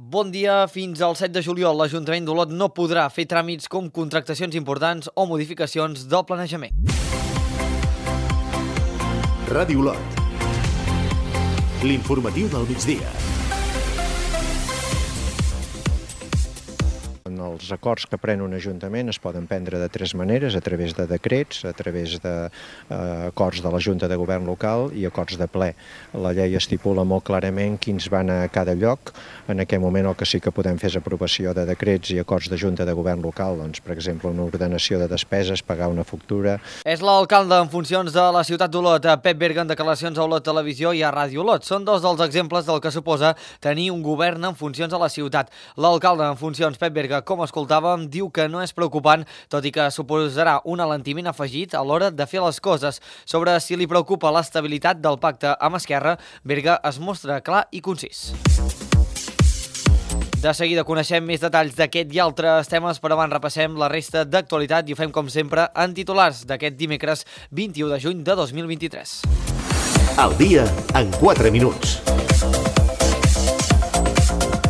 Bon dia. Fins al 7 de juliol l'Ajuntament d'Olot no podrà fer tràmits com contractacions importants o modificacions del planejament. Ràdio Olot. L'informatiu del migdia. Els acords que pren un ajuntament es poden prendre de tres maneres, a través de decrets, a través d'acords de la Junta de Govern local i acords de ple. La llei estipula molt clarament quins van a cada lloc. En aquest moment el que sí que podem fer és aprovació de decrets i acords de Junta de Govern local, doncs, per exemple, una ordenació de despeses, pagar una factura. És l'alcalde en funcions de la ciutat d'Olot, Pep Berga, en declaracions a Olot Televisió i a Ràdio Olot. Són dos dels exemples del que suposa tenir un govern en funcions a la ciutat. L'alcalde en funcions, Pep Berga, com escoltàvem, diu que no és preocupant, tot i que suposarà un alentiment afegit a l'hora de fer les coses. Sobre si li preocupa l'estabilitat del pacte amb Esquerra, Berga es mostra clar i concís. De seguida coneixem més detalls d'aquest i altres temes, però abans repassem la resta d'actualitat i ho fem com sempre en titulars d'aquest dimecres 21 de juny de 2023. El dia en 4 minuts.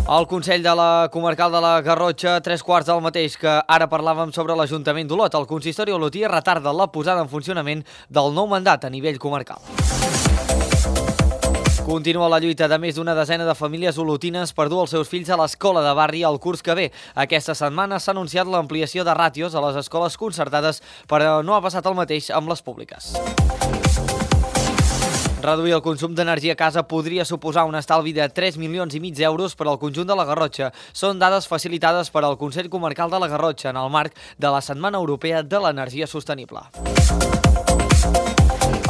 El Consell de la Comarcal de la Garrotxa, 3/4 del mateix que ara parlàvem sobre l'Ajuntament d'Olot. El consistori olotí retarda la posada en funcionament del nou mandat a nivell comarcal. Continua la lluita de més d'una desena de famílies olotines per dur els seus fills a l'escola de barri el curs que ve. Aquesta setmana s'ha anunciat l'ampliació de ràtios a les escoles concertades, però no ha passat el mateix amb les públiques. Reduir el consum d'energia a casa podria suposar un estalvi de 3,5 milions d'euros per al conjunt de la Garrotxa. Són dades facilitades per al Consell Comarcal de la Garrotxa en el marc de la Setmana Europea de l'Energia Sostenible.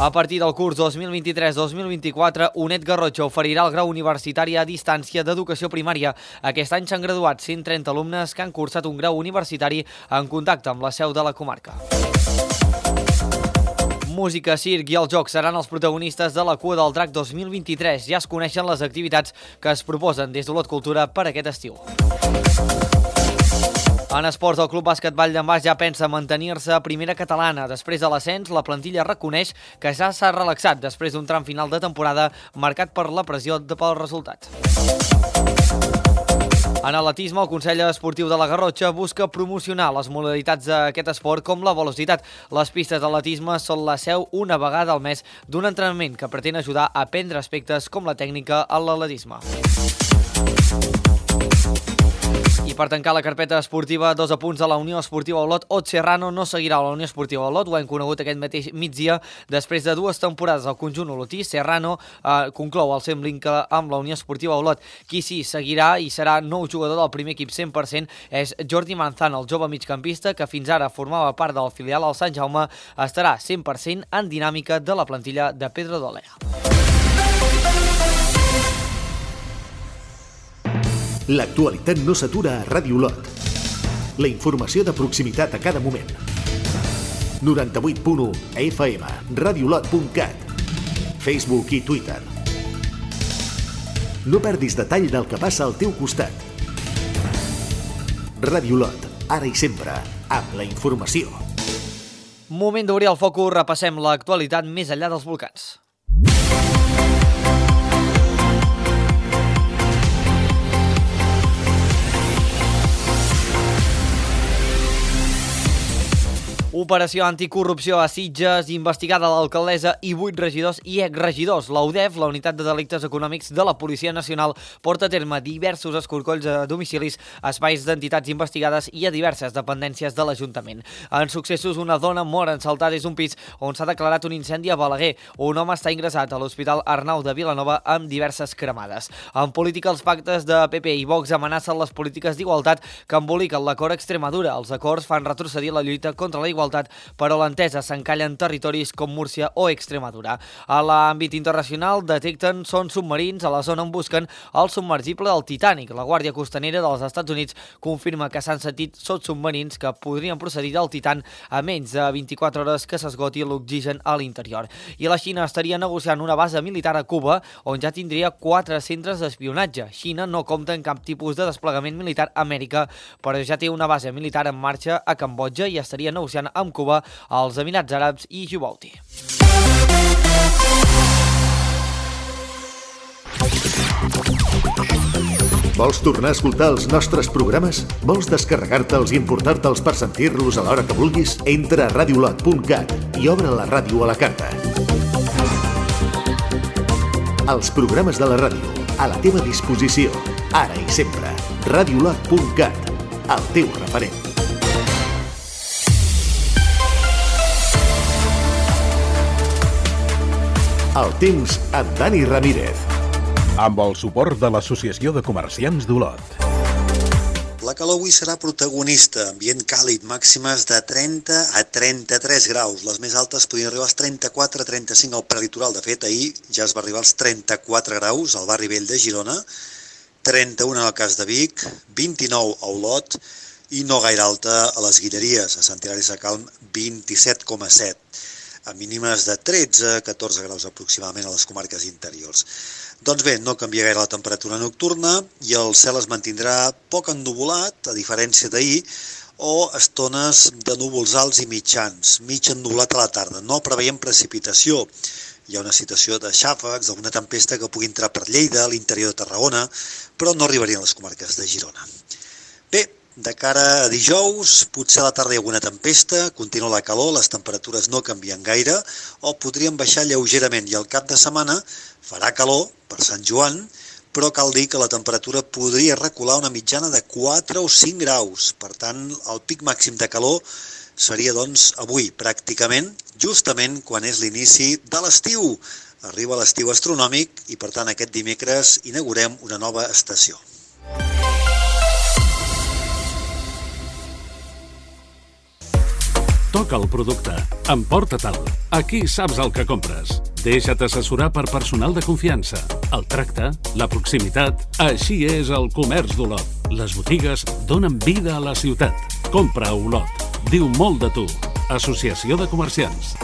A partir del curs 2023-2024, UNED Garrotxa oferirà el grau universitari a distància d'educació primària. Aquest any s'han graduat 130 alumnes que han cursat un grau universitari en contacte amb la seu de la comarca. Música, circ i els jocs seran els protagonistes de la Cua del Drac 2023. Ja es coneixen les activitats que es proposen des d'Olot Cultura per aquest estiu. En esports, el Club Bàsquet Vall d'en Bas ja pensa mantenir-se a primera catalana. Després de l'ascens, la plantilla reconeix que ja s'ha relaxat després d'un tram final de temporada marcat per la pressió pel resultat. En atletisme, el Consell Esportiu de la Garrotxa busca promocionar les modalitats d'aquest esport com la velocitat. Les pistes d'atletisme són la seu una vegada al mes d'un entrenament que pretén ajudar a aprendre aspectes com la tècnica a l'atletisme. I per tancar la carpeta esportiva, 2 apunts de la Unió Esportiva Olot. Ot Serrano no seguirà a la Unió Esportiva Olot, ho hem conegut aquest mateix migdia. Després de 2 temporades al conjunt olotí, Serrano conclou el seu vincle amb la Unió Esportiva Olot. Qui sí seguirà i serà nou jugador del primer equip 100% és Jordi Manzano, el jove migcampista que fins ara formava part del filial al Sant Jaume, estarà 100% en dinàmica de la plantilla de Pedro Dolea. L'actualitat no s'atura a Ràdio Olot. La informació de proximitat a cada moment. 98.1 FM, radiolot.cat, Facebook i Twitter. No perdis detall del que passa al teu costat. Ràdio Olot, ara i sempre, amb la informació. Moment d'obrir el focus, repassem l'actualitat més enllà dels volcans. Operació anticorrupció a Sitges, investigada l'alcaldessa i 8 regidors i exregidors. La UDEF, la Unitat de Delictes Econòmics de la Policia Nacional, porta a terme diversos escorcolls a domicilis, espais d'entitats investigades i a diverses dependències de l'Ajuntament. En successos, una dona mor ensaltada des d'un pis on s'ha declarat un incendi a Balaguer. Un home està ingressat a l'Hospital Arnau de Vilanova amb diverses cremades. En política, els pactes de PP i Vox amenacen les polítiques d'igualtat que emboliquen l'acord Extremadura. Els acords fan retrocedir la lluita contra la igualtat, però l'entesa s'encalla en territoris com Múrcia o Extremadura. A l'àmbit internacional detecten sons submarins a la zona on busquen el submergible del Titanic. La Guàrdia Costanera dels Estats Units confirma que s'han sentit sons submarins que podrien procedir del Titan a menys de 24 hores que s'esgoti l'oxigen a l'interior. I la Xina estaria negociant una base militar a Cuba on ja tindria 4 centres d'espionatge. Xina no compta en cap tipus de desplegament militar a Amèrica, però ja té una base militar en marxa a Cambodja i estaria negociant amb Cuba, als Emirats Àrabs i Djibouti. Vols tornar a escoltar els nostres programes? Vols descarregar-te'ls i importar-te'ls per sentir-los a l'hora que vulguis? Entra a radiolot.cat i obre la ràdio a la carta. Els programes de la ràdio, a la teva disposició, ara i sempre. Radiolot.cat, el teu referent. El temps amb Dani Ramírez. Amb el suport de l'Associació de Comerciants d'Olot. La calor avui serà protagonista, ambient càlid, màximes de 30 a 33 graus. Les més altes podrien arribar als 34 a 35 al prelitoral. De fet, ahir ja es va arribar als 34 graus al barri vell de Girona, 31 en el cas de Vic, 29 a Olot i no gaire alta a les Guilleries, a Sant Hilari Sacalm 27,7. A mínimes de 13-14 graus aproximadament a les comarques interiors. Doncs bé, no canvia gaire la temperatura nocturna i el cel es mantindrà poc ennuvolat, a diferència d'ahir, o estones de núvols alts i mitjans, mig ennuvolat a la tarda. No preveiem precipitació. Hi ha una situació de xàfecs, d'alguna tempesta que pugui entrar per Lleida, a l'interior de Tarragona, però no arribarien a les comarques de Girona. Bé, de cara a dijous, potser a la tarda hi ha alguna tempesta, continua la calor, les temperatures no canvien gaire, o podrien baixar lleugerament, i al cap de setmana farà calor per Sant Joan, però cal dir que la temperatura podria recular una mitjana de 4 o 5 graus. Per tant, el pic màxim de calor seria, doncs, avui, pràcticament, justament quan és l'inici de l'estiu. Arriba l'estiu astronòmic i, per tant, aquest dimecres inaugurem una nova estació. Toca el producte, emporta-te'l. Aquí saps el que compres. Deixa't assessorar per personal de confiança. El tracte, la proximitat, així és el comerç d'Olot. Les botigues donen vida a la ciutat. Compra a Olot. Diu molt de tu. Associació de Comerciants.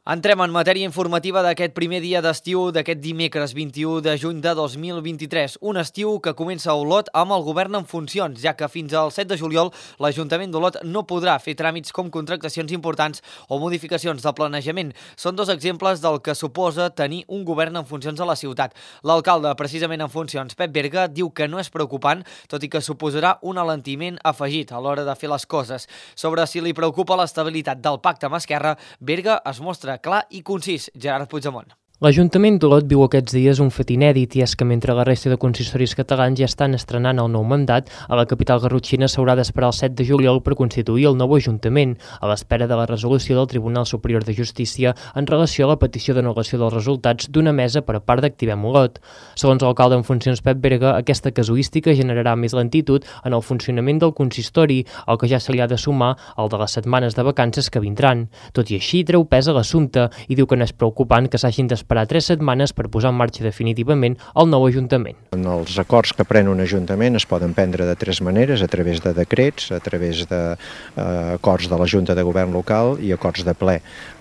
Entrem en matèria informativa d'aquest primer dia d'estiu d'aquest dimecres 21 de juny de 2023. Un estiu que comença a Olot amb el govern en funcions, ja que fins al 7 de juliol l'Ajuntament d'Olot no podrà fer tràmits com contractacions importants o modificacions de planejament. Són dos exemples del que suposa tenir un govern en funcions a la ciutat. L'alcalde, precisament en funcions, Pep Berga, diu que no és preocupant, tot i que suposarà un alentiment afegit a l'hora de fer les coses. Sobre si li preocupa l'estabilitat del pacte amb Esquerra, Berga es mostra clar i concís. Gerard Puigdemont. L'Ajuntament d'Olot viu aquests dies un fet inèdit i és que mentre la resta de consistoris catalans ja estan estrenant el nou mandat, a la capital garrotxina s'haurà d'esperar el 7 de juliol per constituir el nou Ajuntament, a l'espera de la resolució del Tribunal Superior de Justícia en relació a la petició d'anul·lació dels resultats d'una mesa per part d'Activem Olot. Segons l'alcalde en funcions Pep Berga, aquesta casuística generarà més lentitud en el funcionament del consistori, al que ja se li ha de sumar el de les setmanes de vacances que vindran. Tot i així, treu pes a l'assumpte i diu que no és preocupant que s'hagin d'esperar 3 setmanes per posar en marxa definitivament el nou Ajuntament. Els acords que pren un Ajuntament es poden prendre de 3 maneres, a través de decrets, a través d'acords de la Junta de Govern local i acords de ple.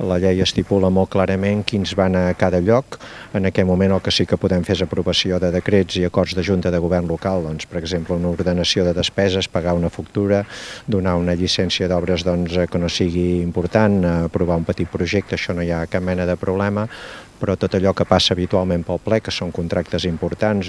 La llei estipula molt clarament quins van a cada lloc. En aquest moment el que sí que podem fer és aprovació de decrets i acords de Junta de Govern local, doncs, per exemple, una ordenació de despeses, pagar una factura, donar una llicència d'obres que no sigui important, aprovar un petit projecte, això no hi ha cap mena de problema, però tot allò que passa habitualment pel ple, que són contractes importants,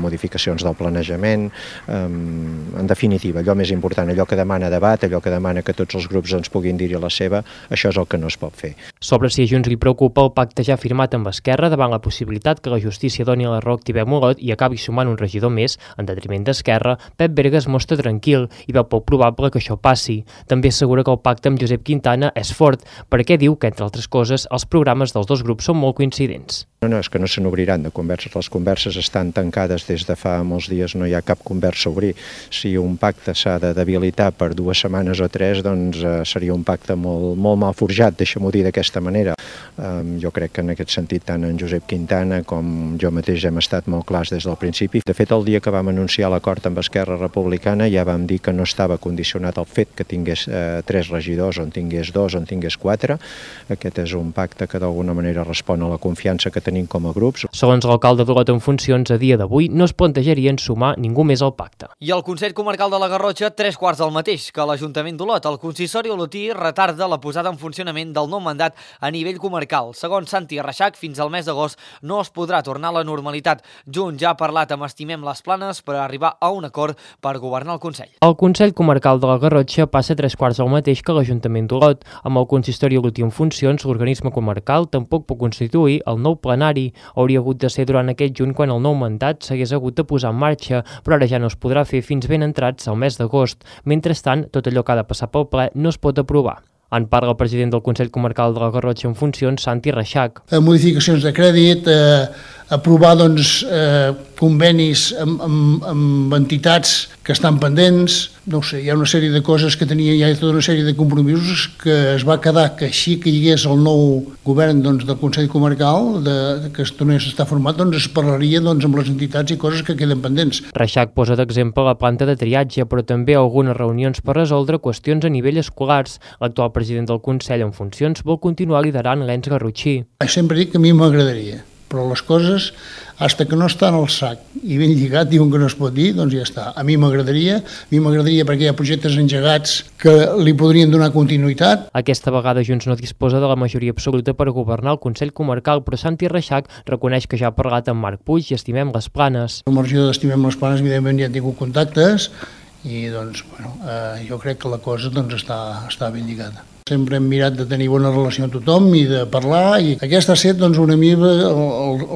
modificacions del planejament, en definitiva, allò més important, allò que demana debat, allò que demana que tots els grups ens puguin dir-hi la seva, això és el que no es pot fer. Sobre si a Junts li preocupa el pacte ja firmat amb Esquerra davant la possibilitat que la justícia doni la raó a Activem Olot i acabi sumant un regidor més, en detriment d'Esquerra, Pep Berga es mostra tranquil i veu poc probable que això passi. També assegura que el pacte amb Josep Quintana és fort, perquè diu que, entre altres coses, els programes dels dos grups són molt coincidents. No, és que no se n'obriran de converses. Les converses estan tancades des de fa molts dies, no hi ha cap conversa a obrir. Si un pacte s'ha de debilitar per 2 setmanes o 3, doncs seria un pacte molt mal forjat, deixa'm-ho dir d'aquesta manera. Jo crec que en aquest sentit tant en Josep Quintana com jo mateix hem estat molt clars des del principi. De fet, el dia que vam anunciar l'acord amb Esquerra Republicana ja vam dir que no estava condicionat al fet que tingués 3 regidors, on tingués 2, on tingués 4. Aquest és un pacte que d'alguna manera respon a la confiança que tenim com a grups. Segons l'alcalde d'Olot en funcions, a dia d'avui no es plantejarien sumar ningú més al pacte. I el Consell Comarcal de la Garrotxa, 3/4 del mateix que l'Ajuntament d'Olot. El consistori olotí retarda la posada en funcionament del nou mandat a nivell comarcal. Segons Santi Reixac, fins al mes d'agost no es podrà tornar a la normalitat. Junts ja ha parlat amb Estimem les Planes per arribar a un acord per governar el Consell. El Consell Comarcal de la Garrotxa passa 3/4 del mateix que l'Ajuntament d'Olot. Amb el consistori olotí en funcions, l'organisme comarcal tampoc pot constituir el nou plenari. Hauria hagut de ser durant aquest juny quan el nou mandat s'hagués hagut de posar en marxa, però ara ja no es podrà fer fins ben entrats al mes d'agost. Mentrestant, tot allò que ha de passar pel ple no es pot aprovar. En parla el president del Consell Comarcal de la Garrotxa en funcions, Santi Reixac. Modificacions de crèdit, aprovar convenis amb entitats que estan pendents, no ho sé, hi ha una sèrie de coses que tenia, hi ha tota una sèrie de compromisos que es va quedar que així que hi hagués el nou govern del Consell Comarcal, que es tornés a estar format, es parlaria amb les entitats i coses que queden pendents. Reixac posa d'exemple la planta de triatge, però també algunes reunions per resoldre qüestions a nivell escolars. L'actual president del Consell en funcions vol continuar liderant l'ens garrotxí. Sempre dic que a mi m'agradaria, però les coses, fins que no estan al sac i ben lligat, diuen que no es pot dir, doncs ja està. A mi m'agradaria perquè hi ha projectes engegats que li podrien donar continuïtat. Aquesta vegada Junts no disposa de la majoria absoluta per governar el Consell Comarcal, però Santi Reixac reconeix que ja ha parlat amb Marc Puig i Estimem les Planes. Amb el regidor d'Estimem les Planes, evidentment, ja han tingut contactes i jo crec que la cosa està ben lligada. Sempre hem mirat de tenir bona relació amb tothom i de parlar, i aquesta ha estat una mica,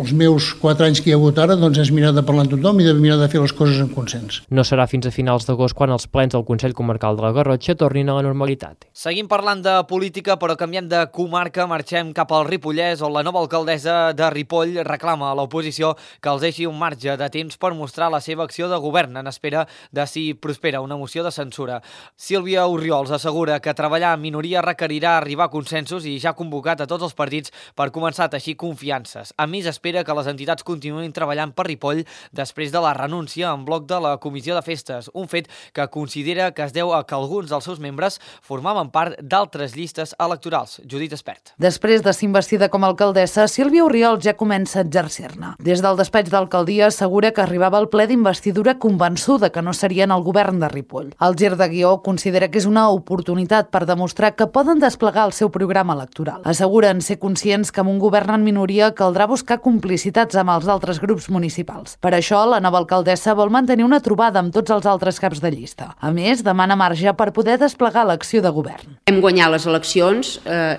els meus 4 anys que hi ha hagut ara, és mirar de parlar amb tothom i de mirar de fer les coses en consens. No serà fins a finals d'agost quan els plens del Consell Comarcal de la Garrotxa tornin a la normalitat. Seguim parlant de política, però canviem de comarca, marxem cap al Ripollès, on la nova alcaldessa de Ripoll reclama a l'oposició que els deixi un marge de temps per mostrar la seva acció de govern en espera de si prospera una moció de censura. Sílvia Orriols assegura que treballar en minoria requerirà arribar a consensos i ja ha convocat a tots els partits per començar a teixir confiances. A més, espera que les entitats continuïn treballant per Ripoll després de la renúncia en bloc de la Comissió de Festes, un fet que considera que es deu a que alguns dels seus membres formaven part d'altres llistes electorals. Judit Espert. Després de ser investida com a alcaldessa, Sílvia Orriols ja comença a exercir-ne. Des del despatx d'alcaldia assegura que arribava al ple d'investidura convençuda que no serien el govern de Ripoll. El gir de guió considera que és una oportunitat per demostrar que poden desplegar el seu programa electoral. Asseguren ser conscients que amb un govern en minoria caldrà buscar complicitats amb els altres grups municipals. Per això, la nova alcaldessa vol mantenir una trobada amb tots els altres caps de llista. A més, demana marge per poder desplegar l'acció de govern. Hem guanyat les eleccions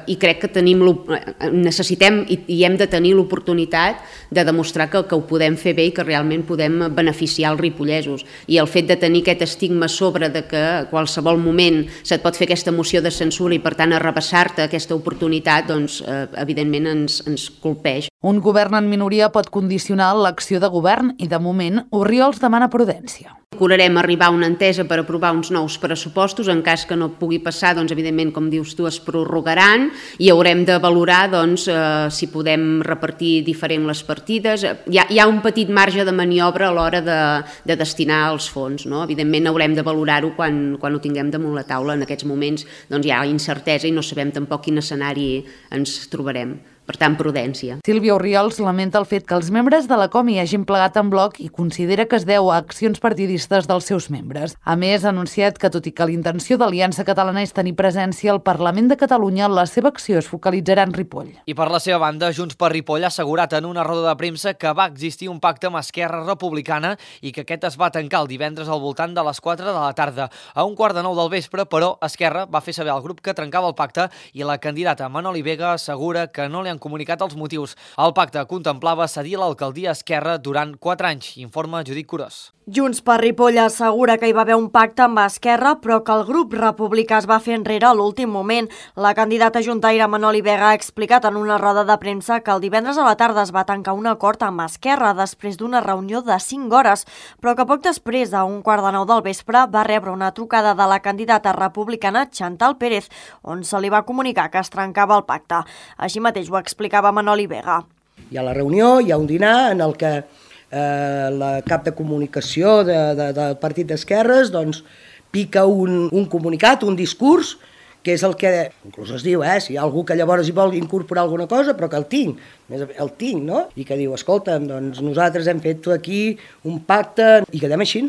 i crec que necessitem i hem de tenir l'oportunitat de demostrar que ho podem fer bé i que realment podem beneficiar els ripollesos. I el fet de tenir aquest estigma sobre de que a qualsevol moment se't pot fer aquesta moció de censura i per tant arrabassar-te aquesta oportunitat, evidentment ens colpeix. Un govern en minoria pot condicionar l'acció de govern i, de moment, Orriols demana prudència. Procurarem arribar a una entesa per aprovar uns nous pressupostos. En cas que no pugui passar, evidentment, com dius tu, es prorrogaran i haurem de valorar si podem repartir diferent les partides. Hi ha un petit marge de maniobra a l'hora de destinar els fons. Evidentment, haurem de valorar-ho quan ho tinguem damunt la taula. En aquests moments hi ha incertesa i no sabem tampoc quin escenari ens trobarem. Per tant, prudència. Sílvia Orriols lamenta el fet que els membres de la COMI hagin plegat en bloc i considera que es deu a accions partidistes dels seus membres. A més, ha anunciat que, tot i que l'Intenció d'Aliança Catalana és tenir presència al Parlament de Catalunya, la seva acció es focalitzarà en Ripoll. I per la seva banda, Junts per Ripoll ha assegurat en una roda de premsa que va existir un pacte amb Esquerra Republicana i que aquest es va tancar el divendres al voltant de les 4 de la tarda. A 8:45 del vespre, però, Esquerra va fer saber al grup que trencava el pacte i la candidata Manoli Vega assegura que no li han comunicat els motius. El pacte contemplava cedir l'alcaldia a Esquerra durant 4 anys, informa Judit Curós. Junts per Ripoll assegura que hi va haver un pacte amb Esquerra, però que el grup republicà es va fer enrere a l'últim moment. La candidata juntaire Manoli Vega ha explicat en una roda de premsa que el divendres a la tarda es va tancar un acord amb Esquerra després d'una reunió de 5 hores, però que poc després, a 8:45 del vespre, va rebre una trucada de la candidata republicana Chantal Pérez, on se li va comunicar que es trencava el pacte. Així mateix ho explicava Manoli Vega. Hi ha la reunió, hi ha un dinar en el que la cap de comunicació del Partit d'Esquerres pica un comunicat, un discurs, que és el que inclús es diu, si hi ha algú que llavors hi vol incorporar alguna cosa, però que el tinc, no? I que diu, escolta'm, doncs nosaltres hem fet aquí un pacte i quedem així.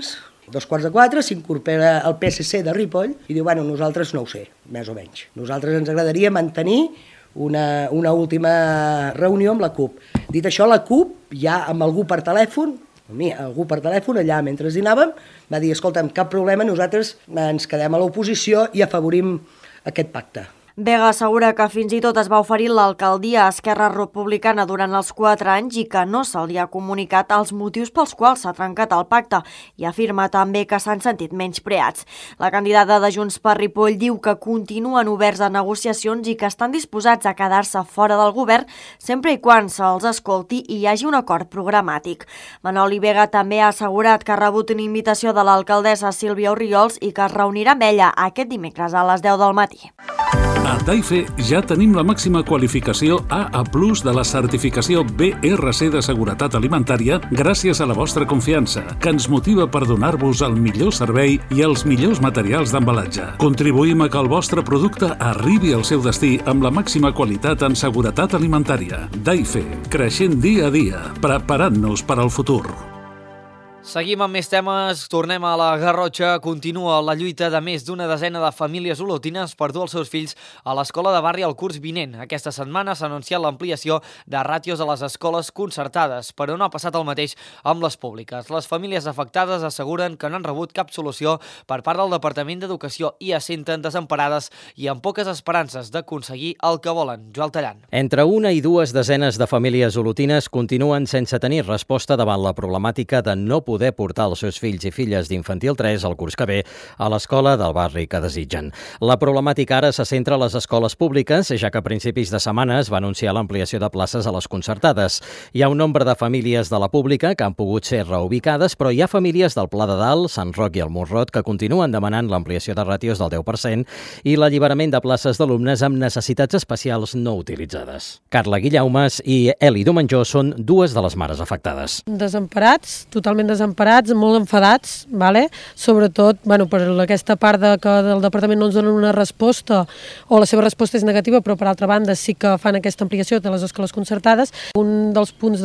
3:45 s'incorpora el PSC de Ripoll i diu, bueno, nosaltres no ho sé, més o menys. Nosaltres ens agradaria mantenir una última reunió amb la CUP. Dit això, la CUP, ja amb algú per telèfon, allà mentre dinàvem, va dir, escolta'm, cap problema, nosaltres ens quedem a l'oposició i afavorim aquest pacte. Vega assegura que fins i tot es va oferir l'alcaldia a Esquerra Republicana durant els 4 anys i que no se li ha comunicat els motius pels quals s'ha trencat el pacte i afirma també que s'han sentit menyspreats. La candidata de Junts per Ripoll diu que continuen oberts a negociacions i que estan disposats a quedar-se fora del govern sempre i quan se'ls escolti i hi hagi un acord programàtic. Manoli Vega també ha assegurat que ha rebut una invitació de l'alcaldessa Sílvia Orriols i que es reunirà amb ella aquest dimecres a les 10 del matí. A Daife ja tenim la màxima qualificació AA+ de la certificació BRC de seguretat alimentària gràcies a la vostra confiança, que ens motiva per donar-vos el millor servei i els millors materials d'embalatge. Contribuïm a que el vostre producte arribi al seu destí amb la màxima qualitat en seguretat alimentària. Daife, creixent dia a dia, preparant-nos per al futur. Seguim amb més temes, tornem a la Garrotxa. Continua la lluita de més d'una desena de famílies olotines per dur els seus fills a l'escola de barri el curs vinent. Aquesta setmana s'ha anunciat l'ampliació de ràtios a les escoles concertades, però no ha passat el mateix amb les públiques. Les famílies afectades asseguren que no han rebut cap solució per part del Departament d'Educació i es senten desemparades i amb poques esperances d'aconseguir el que volen. Joel Tallant. Entre 1 i 2 desenes de famílies olotines continuen sense tenir resposta davant la problemàtica de no poder portar els seus fills i filles d'infantil 3 al curs que ve a l'escola del barri que desitgen. La problemàtica ara se centra a les escoles públiques, ja que a principis de setmana es va anunciar l'ampliació de places a les concertades. Hi ha un nombre de famílies de la pública que han pogut ser reubicades, però hi ha famílies del Pla de Dalt, Sant Roc i el Morrot que continuen demanant l'ampliació de ràtios del 10% i l'alliberament de places d'alumnes amb necessitats especials no utilitzades. Carla Guillaumes i Eli Domenjó són dues de les mares afectades. Desemparats, totalment desemparats, molt enfadats, sobretot per aquesta part que del departament no ens donen una resposta o la seva resposta és negativa, però per altra banda sí que fan aquesta ampliació de les escoles concertades. Un dels punts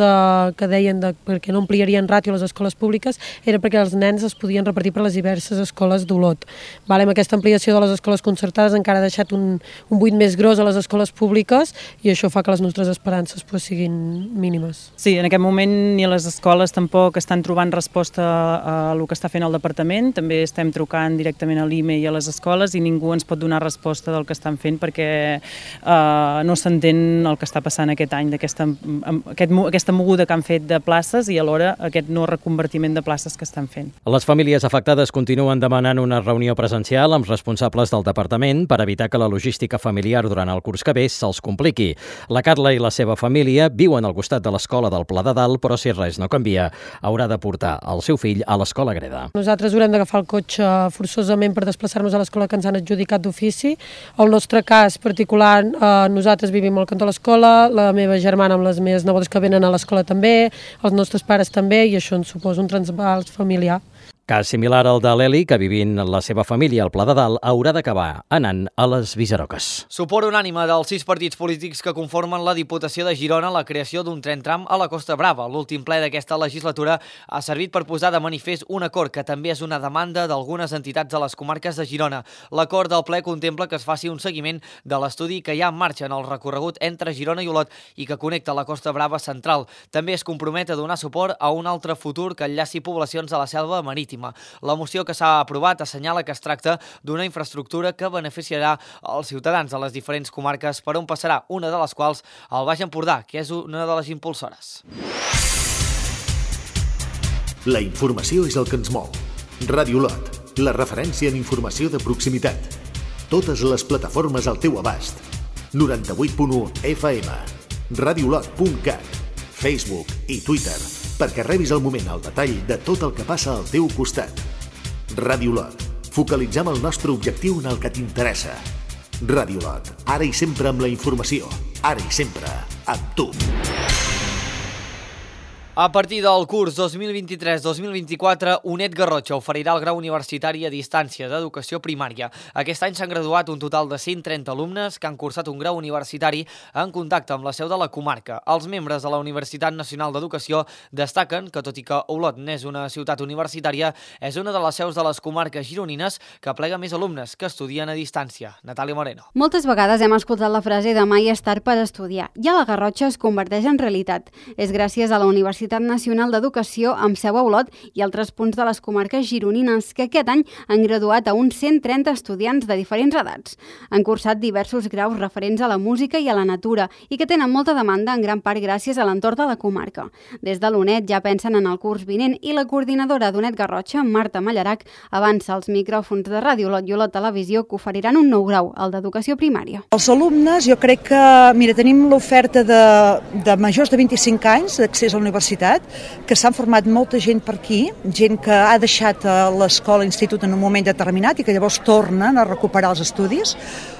que deien perquè no ampliarien ràtio a les escoles públiques era perquè els nens es podien repartir per les diverses escoles d'Olot. Amb aquesta ampliació de les escoles concertades encara ha deixat un buit més gros a les escoles públiques i això fa que les nostres esperances siguin mínimes. Sí, en aquest moment ni les escoles tampoc estan trobant resposta a el que està fent el departament. També estem trucant directament a l'IME i a les escoles i ningú ens pot donar resposta del que estan fent perquè no s'entén el que està passant aquest any, aquesta moguda que han fet de places i alhora aquest no reconvertiment de places que estan fent. Les famílies afectades continuen demanant una reunió presencial amb responsables del departament per evitar que la logística familiar durant el curs que ve se'ls compliqui. La Carla i la seva família viuen al costat de l'escola del Pla de Dalt, però si res no canvia, haurà de portar el seu fill a l'escola Greda. Nosaltres haurem d'agafar el cotxe forçosament per desplaçar-nos a l'escola que ens han adjudicat d'ofici. El nostre cas particular, nosaltres vivim al cantó de l'escola, la meva germana amb les meves nebodes que venen a l'escola també, els nostres pares també, i això ens suposa un transbals familiar. Cas similar al de l'Eli, que vivint la seva família al Pla de Dalt haurà d'acabar anant a les Visaroques. Suport unànime dels 6 partits polítics que conformen la Diputació de Girona a la creació d'un tren tram a la Costa Brava. L'últim ple d'aquesta legislatura ha servit per posar de manifest un acord que també és una demanda d'algunes entitats de les comarques de Girona. L'acord del ple contempla que es faci un seguiment de l'estudi que hi ha en marxa en el recorregut entre Girona i Olot i que connecta la Costa Brava central. També es compromet a donar suport a un altre futur que enllaci poblacions de la selva marítima. La moció que s'ha aprovat assenyala que es tracta d'una infraestructura que beneficiarà els ciutadans de les diferents comarques per on passarà, una de les quals el Baix Empordà, que és una de les impulsores. La informació és el que ens mou. Ràdio Olot, la referència en informació de proximitat. Totes les plataformes al teu abast. 98.1 FM, radiolot.cat, Facebook i Twitter, perquè rebis al moment el detall de tot el que passa al teu costat. Ràdio Olot. Focalitzem el nostre objectiu en el que t'interessa. Ràdio Olot. Ara i sempre amb la informació. Ara i sempre amb tu. A partir del curs 2023-2024, UNED Garrotxa oferirà el grau universitari a distància d'educació primària. Aquest any s'han graduat un total de 130 alumnes que han cursat un grau universitari en contacte amb la seu de la comarca. Els membres de la Universitat Nacional d'Educació destaquen que, tot i que Olot n'és una ciutat universitària, és una de les seus de les comarques gironines que aplega més alumnes que estudien a distància. Natàlia Moreno. Moltes vegades hem escoltat la frase demà hi és tard per estudiar, i a la Garrotxa es converteix en realitat. És gràcies a la Universitat Nacional d'Educació amb seu a Olot i altres punts de les comarques gironines que aquest any han graduat a uns 130 estudiants de diferents edats. Han cursat diversos graus referents a la música i a la natura i que tenen molta demanda en gran part gràcies a l'entorn de la comarca. Des de l'UNED ja pensen en el curs vinent i la coordinadora d'UNED Garrotxa, Marta Mallarac, avança als micròfons de Ràdio Olot i Olot Televisió que oferiran un nou grau, el d'Educació Primària. Els alumnes, jo crec que, tenim l'oferta de majors de 25 anys d'accés a la universitat, que s'han format molta gent per aquí, gent que ha deixat l'escola, l'institut en un moment determinat i que llavors tornen a recuperar els estudis,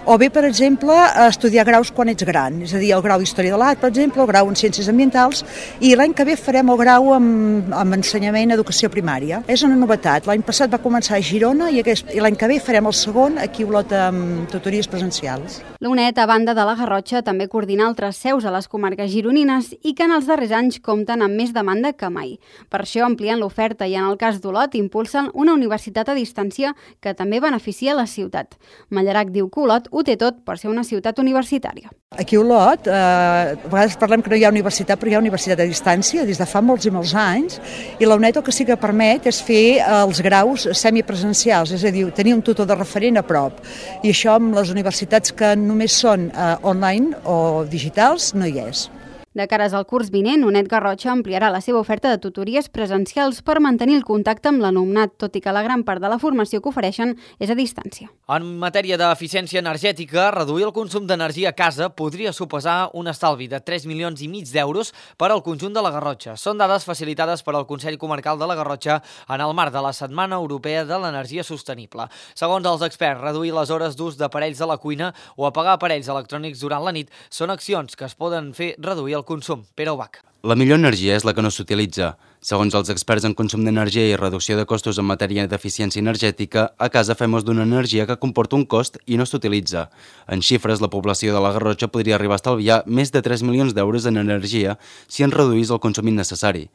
o bé, per exemple, a estudiar graus quan ets gran, és a dir, el grau d'Història de l'Art, per exemple, el grau en Ciències Ambientals, i l'any que ve farem el grau en Ensenyament Educació Primària. És una novetat. L'any passat va començar a Girona i l'any que ve farem el segon aquí a Olot amb tutories presencials. La UNED, a banda de la Garrotxa, també coordina altres seus a les comarques gironines i que en els darrers anys compten amb més demanda que mai. Per això amplien l'oferta i, en el cas d'Olot, impulsen una universitat a distància que també beneficia la ciutat. Mallarac diu que Olot ho té tot per ser una ciutat universitària. Aquí a Olot, a vegades parlem que no hi ha universitat, però hi ha universitat a distància des de fa molts i molts anys, i la UNED el que sí que permet és fer els graus semipresencials, és a dir, tenir un tutor de referent a prop. I això amb les universitats que només són online o digitals no hi és. De cares al curs vinent, UNED Garrotxa ampliarà la seva oferta de tutories presencials per mantenir el contacte amb l'alumnat, tot i que la gran part de la formació que ofereixen és a distància. En matèria d'eficiència energètica, reduir el consum d'energia a casa podria suposar un estalvi de 3,5 milions d'euros per al conjunt de la Garrotxa. Són dades facilitades per al Consell Comarcal de la Garrotxa en el marc de la Setmana Europea de l'Energia Sostenible. Segons els experts, reduir les hores d'ús d'aparells de la cuina o apagar aparells electrònics durant la nit són accions que es poden fer reduir el consum. Pere Ubach. La millor energia és la que no s'utilitza. Segons els experts en consum d'energia i reducció de costos en matèria d'eficiència energètica, a casa fem ús d'una energia que comporta un cost i no s'utilitza. En xifres, la població de la Garrotxa podria arribar a estalviar més de 3 milions d'euros en energia si en reduís el consum innecessari.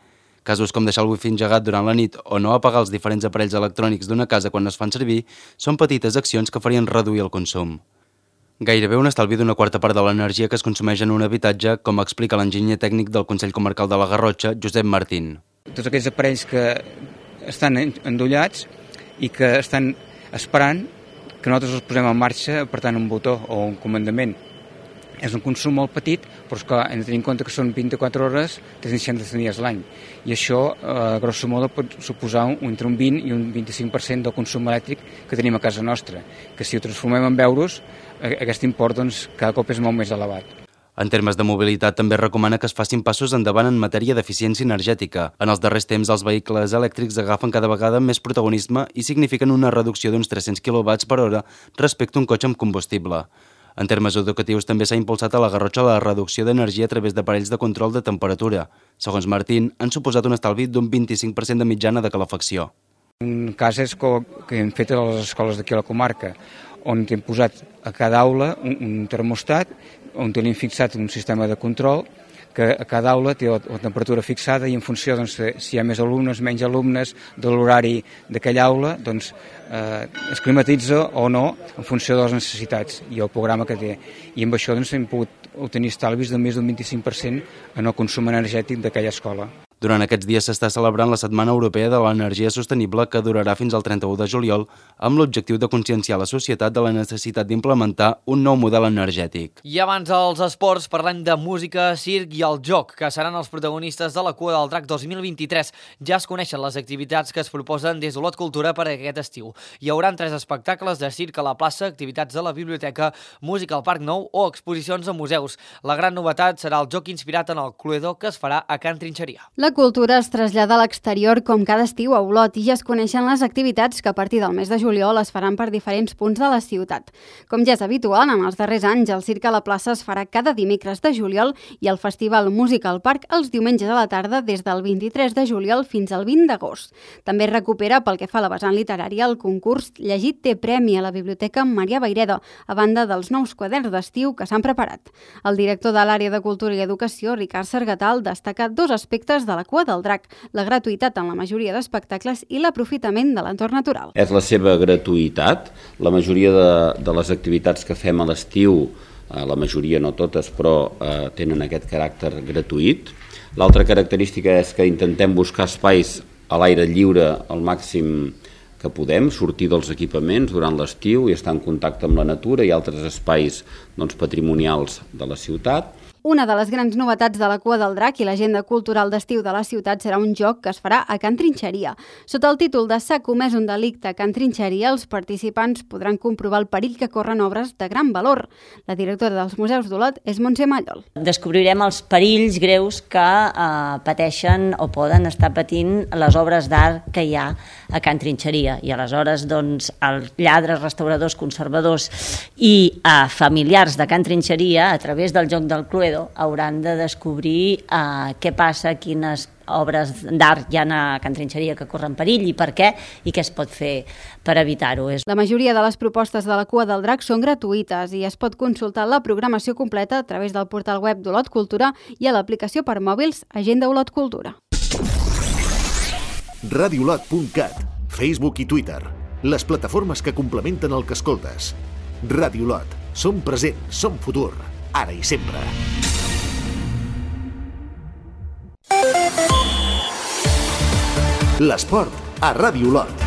Casos com deixar el wifi engegat durant la nit o no apagar els diferents aparells electrònics d'una casa quan es fan servir són petites accions que farien reduir el consum. Gairebé un estalvi d'una quarta part de l'energia que es consumeix en un habitatge, com explica l'enginyer tècnic del Consell Comarcal de la Garrotxa, Josep Martín. Tots aquells aparells que estan endollats i que estan esperant que nosaltres els posem en marxa apretant un botó o un comandament. És un consum molt petit, però és que hem de tenir en compte que són 24 hores, 360 dies l'any. I això, grosso modo, pot suposar entre un 20 i un 25% del consum elèctric que tenim a casa nostra, que si ho transformem en euros, aquest import cada cop és molt més elevat. En termes de mobilitat, també recomana que es facin passos endavant en matèria d'eficiència energètica. En els darrers temps, els vehicles elèctrics agafen cada vegada més protagonisme i signifiquen una reducció d'uns 300 kW per hora respecte a un cotxe amb combustible. En termes educatius, també s'ha impulsat a la Garrotxa la reducció d'energia a través d'aparells de control de temperatura. Segons Martín, han suposat un estalvi d'un 25% de mitjana de calefacció. Un cas és que hem fet a les escoles d'aquí a la comarca, on hem posat a cada aula un termostat, on tenim fixat un sistema de control, que a cada aula té la temperatura fixada i en funció si hi ha més alumnes, menys alumnes, de l'horari d'aquella aula, es climatitza o no en funció de les necessitats i el programa que té. I amb això hem pogut obtenir estalvis de més d'un 25% en el consum energètic d'aquella escola. Durant aquests dies s'està celebrant la Setmana Europea de l'Energia Sostenible que durarà fins al 31 de juliol amb l'objectiu de conscienciar la societat de la necessitat d'implementar un nou model energètic. I abans dels esports parlem de música, circ i el joc, que seran els protagonistes de la Cua del Drac 2023. Ja es coneixen les activitats que es proposen des d'Olot Cultura per a aquest estiu. Hi haurà 3 espectacles de circ a la plaça, activitats de la biblioteca, música al Parc Nou o exposicions a museus. La gran novetat serà el joc inspirat en el Cluedo que es farà a Can Trinxeria. La Cultura es trasllada a l'exterior com cada estiu a Olot i ja es coneixen les activitats que a partir del mes de juliol es faran per diferents punts de la ciutat. Com ja és habitual, en els darrers anys, el Circ a la plaça es farà cada dimecres de juliol i el Festival Música al Parc els diumenges a la tarda des del 23 de juliol fins al 20 d'agost. També recupera, pel que fa a la vessant literària, el concurs Llegit té premi a la Biblioteca Marià Vayreda, a banda dels nous quaderns d'estiu que s'han preparat. El director de l'àrea de Cultura i Educació, Ricard Sargatal, destaca dos aspectes de la Cua del Drac, la gratuïtat en la majoria d'espectacles i l'aprofitament de l'entorn natural. És la seva gratuïtat. La majoria de les activitats que fem a l'estiu, la majoria, no totes, però tenen aquest caràcter gratuït. L'altra característica és que intentem buscar espais a l'aire lliure al màxim que podem, sortir dels equipaments durant l'estiu i estar en contacte amb la natura i altres espais patrimonials de la ciutat. Una de les grans novetats de la Cua del Drac i l'agenda cultural d'estiu de la ciutat serà un joc que es farà a Can Trinxeria. Sota el títol de S'ha comès un delicte a Can Trinxeria, els participants podran comprovar el perill que corren obres de gran valor. La directora dels Museus d'Olot és Montse Mallol. Descobrirem els perills greus que pateixen o poden estar patint les obres d'art que hi ha a Can Trinxeria. I aleshores, doncs, els lladres, restauradors, conservadors i familiars de Can Trinxeria, a través del joc del Cluedo, hauran de descobrir què passa, quines obres d'art hi ha a Can Trinxeria que corren perill i per què i què es pot fer per evitar-ho. La majoria de les propostes de la Cua del Drac són gratuïtes i es pot consultar la programació completa a través del portal web d'Olot Cultura i a l'aplicació per mòbils Agenda Olot Cultura. Radiolot.cat, Facebook i Twitter, les plataformes que complementen el que escoltes. Radiolot, som present, som futur, ara i sempre. L'esport a Ràdio Olot.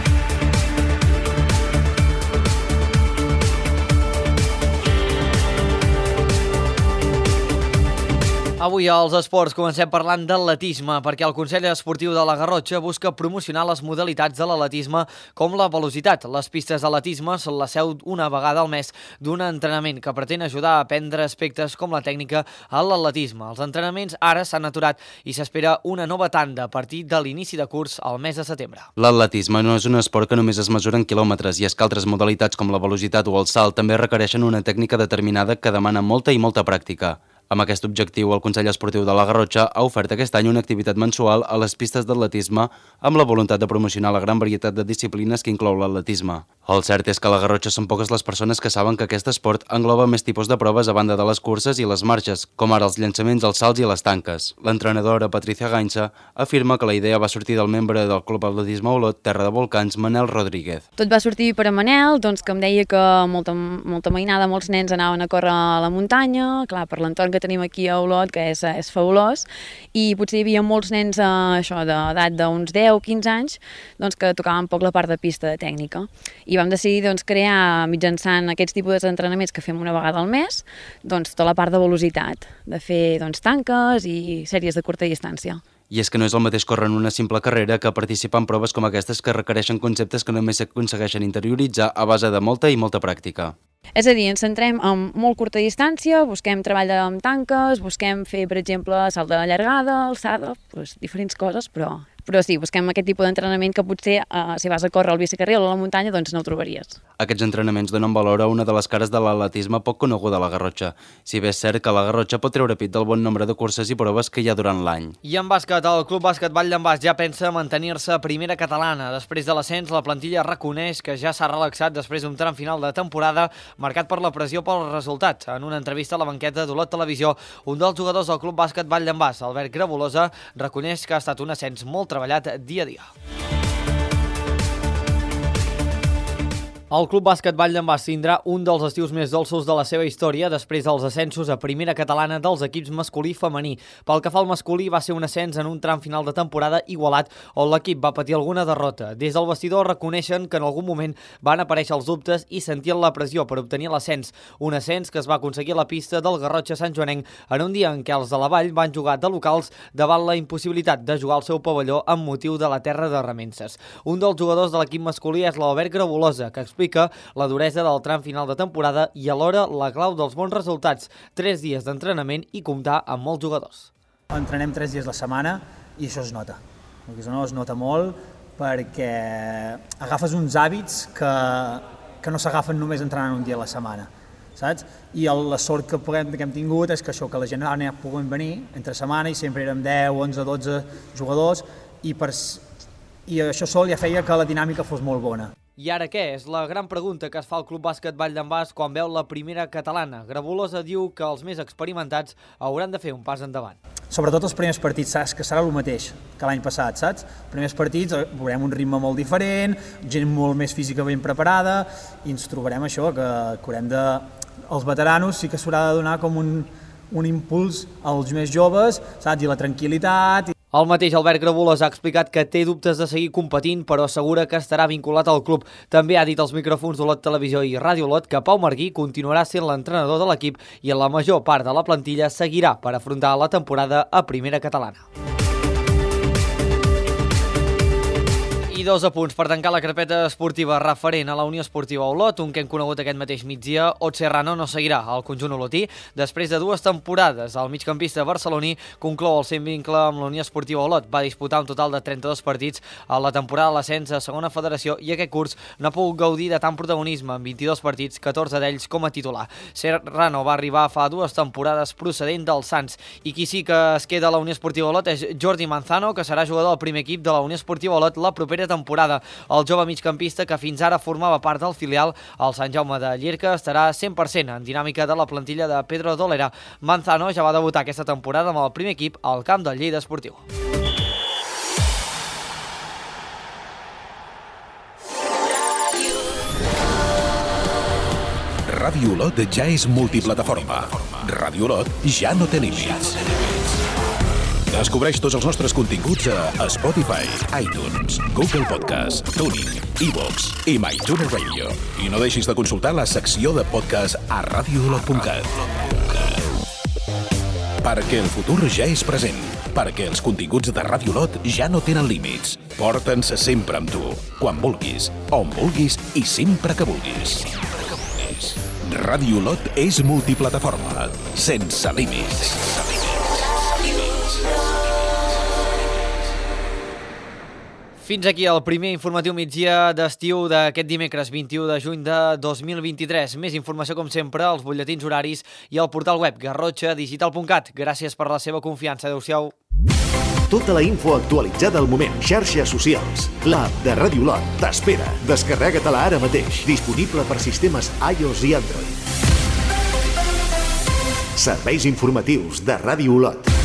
Avui als esports comencem parlant d'atletisme, perquè el Consell Esportiu de la Garrotxa busca promocionar les modalitats de l'atletisme com la velocitat. Les pistes d'atletisme són la seu una vegada al mes d'un entrenament que pretén ajudar a aprendre aspectes com la tècnica a l'atletisme. Els entrenaments ara s'han aturat i s'espera una nova tanda a partir de l'inici de curs al mes de setembre. L'atletisme no és un esport que només es mesura en quilòmetres i és que altres modalitats com la velocitat o el salt també requereixen una tècnica determinada que demana molta i molta pràctica. Amb aquest objectiu, el Consell Esportiu de la Garrotxa ha ofert aquest any una activitat mensual a les pistes d'atletisme amb la voluntat de promocionar la gran varietat de disciplines que inclou l'atletisme. El cert és que a la Garrotxa són poques les persones que saben que aquest esport engloba més tipus de proves a banda de les curses i les marxes, com ara els llançaments, els salts i les tanques. L'entrenadora Patricia Gainza afirma que la idea va sortir del membre del Club Atletisme Olot, Terra de Volcans, Manel Rodríguez. Tot va sortir per a Manel, que em deia que molta mainada, molts nens anaven a córrer a la muntanya, clar, per l'entorn que tenim aquí a Olot, que és fabulós, i potser hi havia molts nens d'edat d'uns 10-15 anys que tocaven poc la part de pista de tècnica. I vam decidir crear, mitjançant aquests tipus d'entrenaments que fem una vegada al mes, tota la part de velocitat, de fer tanques i sèries de curta distància. I és que no és el mateix córrer en una simple carrera que participar en proves com aquestes que requereixen conceptes que només s'aconsegueixen interioritzar a base de molta i molta pràctica. És a dir, ens centrem en molt curta distància, busquem treball amb tanques, busquem fer, per exemple, salt de llargada, alçada, diferents coses, però sí, busquem aquest tipus d'entrenament que potser, si vas a córrer al bicicarril o a la muntanya, no el trobaries. Aquests entrenaments donen valor a una de les cares de l'atletisme poc coneguda a la Garrotxa. Si bé és cert que la Garrotxa pot treure pit del bon nombre de curses i proves que hi ha durant l'any. I en bàsquet, el Club Bàsquet Vall d'en Bas ja pensa mantenir-se a primera catalana. Després de l'ascens, la plantilla reconeix que ja s'ha relaxat després d'un tram final de temporada marcat per la pressió pel resultat. En una entrevista a la banqueta d'Olot Televisió, un dels jugadors del Club Bàsquet Vall d'en Bas, Albert Grabolosa, reconeix que ha estat un ascens molt treballat dia a dia. El Club Bàsquet Vall d'en Bas tindrà un dels estius més dolços de la seva història després dels ascensos a primera catalana dels equips masculí i femení. Pel que fa al masculí, va ser un ascens en un tram final de temporada igualat on l'equip va patir alguna derrota. Des del vestidor reconeixen que en algun moment van aparèixer els dubtes i sentien la pressió per obtenir l'ascens. Un ascens que es va aconseguir a la pista del Garrotxa Sant Joanenc en un dia en què els de la Vall van jugar de locals davant la impossibilitat de jugar al seu pavelló amb motiu de la terra de Remences. Un dels jugadors de l'equip masculí és l'Albert Grabolosa, que explica la duresa del tram final de temporada i alhora la clau dels bons resultats, 3 dies d'entrenament i comptar amb molts jugadors. Entrenem 3 dies a la setmana i això es nota. Això es nota molt perquè agafes uns hàbits que no s'agafen només entrenant un dia a la setmana, saps? I la sort que hem tingut és que això, que la gent ara puguem venir entre setmana i sempre érem 10, 11, 12 jugadors i això sol ja feia que la dinàmica fos molt bona. I ara què? És la gran pregunta que es fa el Club Bàsquet Vall d'en Bas quan veu la primera catalana. Grabulosa diu que els més experimentats hauran de fer un pas endavant. Sobretot els primers partits, saps que serà el mateix que l'any passat, saps? Els primers partits veurem un ritme molt diferent, gent molt més física ben preparada, i ens trobarem això, que haurem de... Els veteranos sí que s'haurà de donar com un impuls als més joves, saps? I la tranquil·litat... El mateix Albert Grabulos ha explicat que té dubtes de seguir competint, però assegura que estarà vinculat al club. També ha dit als micròfons d'Olot Televisió i Ràdio Olot que Pau Marguí continuarà sent l'entrenador de l'equip i la major part de la plantilla seguirà per afrontar la temporada a Primera Catalana. I 2 apunts per tancar la carpeta esportiva referent a la Unió Esportiva Olot, un que hem conegut aquest mateix migdia. Ot Serrano no seguirà al conjunt olotí. Després de 2 temporades, el migcampista barceloní conclou el seu vincle amb la Unió Esportiva Olot. Va disputar un total de 32 partits a la temporada de l'ascens a segona federació i aquest curs no ha pogut gaudir de tant protagonisme en 22 partits, 14 d'ells com a titular. Serrano va arribar fa 2 temporades procedent del Sants i qui sí que es queda a la Unió Esportiva Olot és Jordi Manzano, que serà jugador del primer equip de la Unió Esportiva Olot la propera temporada. El jove migcampista, que fins ara formava part del filial, el Sant Jaume de Llierca, estarà 100% en dinàmica de la plantilla de Pedro Dolera. Manzano ja va debutar aquesta temporada amb el primer equip al camp del Lleida Esportiu. Ràdio Olot ja és multiplataforma. Ràdio Olot ja no té límits. Descobreix tots els nostres continguts a Spotify, iTunes, Google Podcast, TuneIn, iVoox i MyTuner Radio. I no deixis de consultar la secció de podcast a radioolot.cat. Perquè el futur ja és present. Perquè els continguts de Ràdio Olot ja no tenen límits. Porta'ns sempre amb tu, quan vulguis, on vulguis i sempre que vulguis. Ràdio Olot és multiplataforma, sense límits. Fins aquí el primer informatiu migdia d'estiu d'aquest dimecres 21 de juny de 2023. Més informació, com sempre, als butlletins horaris i al portal web garrotxadigital.cat. Gràcies per la seva confiança. Adéu-siau. Tota la info actualitzada al moment. Xarxes socials. L'app de Ràdio Olot t'espera. Descarrega-te-la ara mateix. Disponible per sistemes iOS i Android. Serveis informatius de Ràdio Olot.